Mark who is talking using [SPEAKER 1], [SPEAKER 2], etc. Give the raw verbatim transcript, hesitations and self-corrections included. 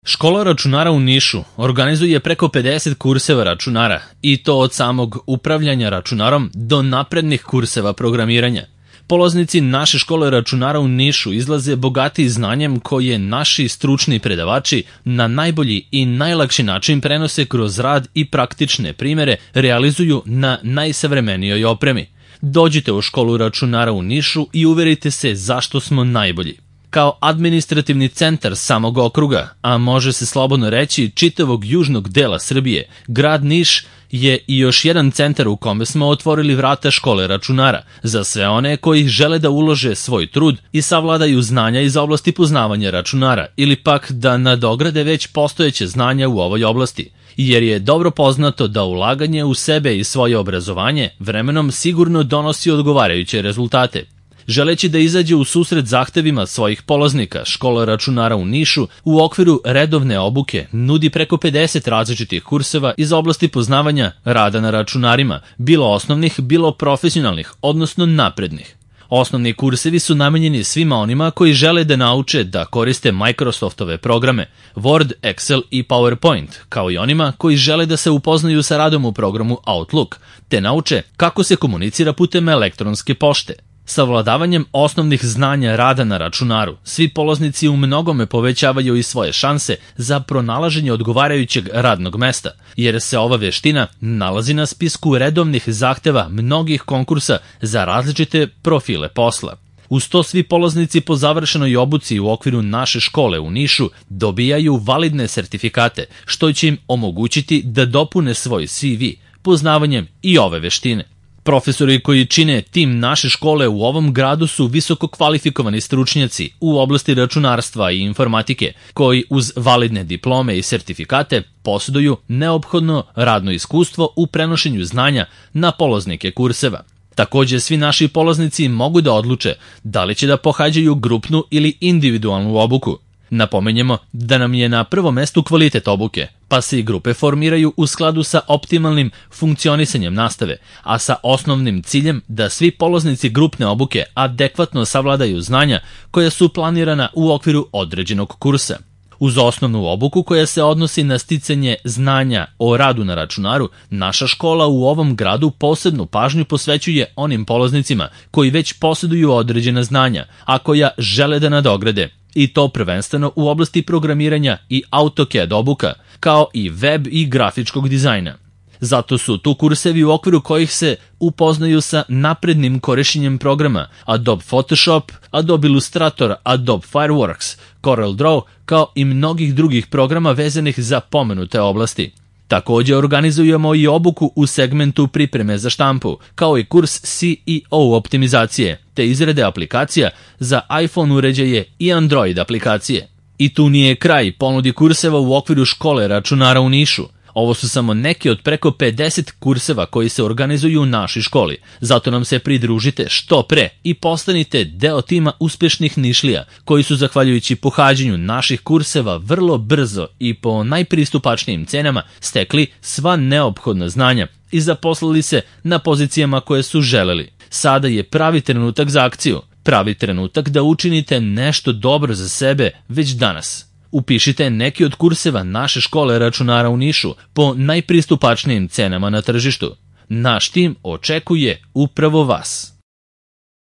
[SPEAKER 1] Škola računara u Nišu organizuje preko pedeset kurseva računara i to od samog upravljanja računarom do naprednih kurseva programiranja. Polaznici naše škole računara u Nišu izlaze bogati znanjem koje naši stručni predavači na najbolji i najlakši način prenose kroz rad i praktične primere realizuju na najsavremenijoj opremi. Dođite u školu računara u Nišu i uverite se zašto smo najbolji. Kao administrativni centar samog okruga, a može se slobodno reći čitavog južnog dela Srbije, grad Niš je i još jedan centar u kome smo otvorili vrata škole računara za sve one koji žele da ulože svoj trud i savladaju znanja iz oblasti poznavanja računara ili pak da nadograde već postojeće znanja u ovoj oblasti, jer je dobro poznato da ulaganje u sebe i svoje obrazovanje vremenom sigurno donosi odgovarajuće rezultate. Želeći da izađe u susret zahtevima svojih polaznika, škola računara u Nišu u okviru redovne obuke nudi preko pedeset različitih kurseva iz oblasti poznavanja rada na računarima, bilo osnovnih, bilo profesionalnih, odnosno naprednih. Osnovni kursevi su namenjeni svima onima koji žele da nauče da koriste Microsoftove programe Word, Excel i PowerPoint, kao i onima koji žele da se upoznaju sa radom u programu Outlook, te nauče kako se komunicira putem elektronske pošte. Savladavanjem osnovnih znanja rada na računaru, svi polaznici u mnogome povećavaju i svoje šanse za pronalaženje odgovarajućeg radnog mesta, jer se ova veština nalazi na spisku redovnih zahteva mnogih konkursa za različite profile posla. Uz to svi polaznici po završenoj obuci u okviru naše škole u Nišu dobijaju validne sertifikate, što će im omogućiti da dopune svoj C V poznavanjem i ove veštine. Profesori koji čine tim naše škole u ovom gradu su visoko kvalifikovani stručnjaci u oblasti računarstva i informatike, koji uz validne diplome i sertifikate posjeduju neophodno radno iskustvo u prenošenju znanja na polaznike kurseva. Također, svi naši polaznici mogu da odluče da li će da pohađaju grupnu ili individualnu obuku. Napomenjemo da nam je na prvom mestu kvalitet obuke, pa se i grupe formiraju u skladu sa optimalnim funkcionisanjem nastave, a sa osnovnim ciljem da svi polaznici grupne obuke adekvatno savladaju znanja koja su planirana u okviru određenog kursa. Uz osnovnu obuku koja se odnosi na sticanje znanja o radu na računaru, naša škola u ovom gradu posebnu pažnju posvećuje onim polaznicima koji već posjeduju određena znanja, a koja žele da nadograde, i to prvenstveno u oblasti programiranja i AutoCAD obuka, kao i web i grafičkog dizajna. Zato su tu kursevi u okviru kojih se upoznaju sa naprednim korišćenjem programa Adobe Photoshop, Adobe Illustrator, Adobe Fireworks, Corel Draw, kao i mnogih drugih programa vezanih za pomenute oblasti. Također organizujemo i obuku u segmentu pripreme za štampu, kao i kurs C E O optimizacije, te izrade aplikacija za iPhone uređaje i Android aplikacije. I tu nije kraj ponudi kurseva u okviru škole računara u Nišu. Ovo su samo neki od preko pedeset kurseva koji se organizuju u našoj školi, zato nam se pridružite što pre i postanite deo tima uspešnih Nišlija, koji su zahvaljujući pohađanju naših kurseva vrlo brzo i po najpristupačnijim cenama stekli sva neophodna znanja i zaposlili se na pozicijama koje su želeli. Sada je pravi trenutak za akciju, pravi trenutak da učinite nešto dobro za sebe već danas. Upišite neki od kurseva naše škole računara u Nišu po najpristupačnijim cenama na tržištu. Naš tim očekuje upravo vas.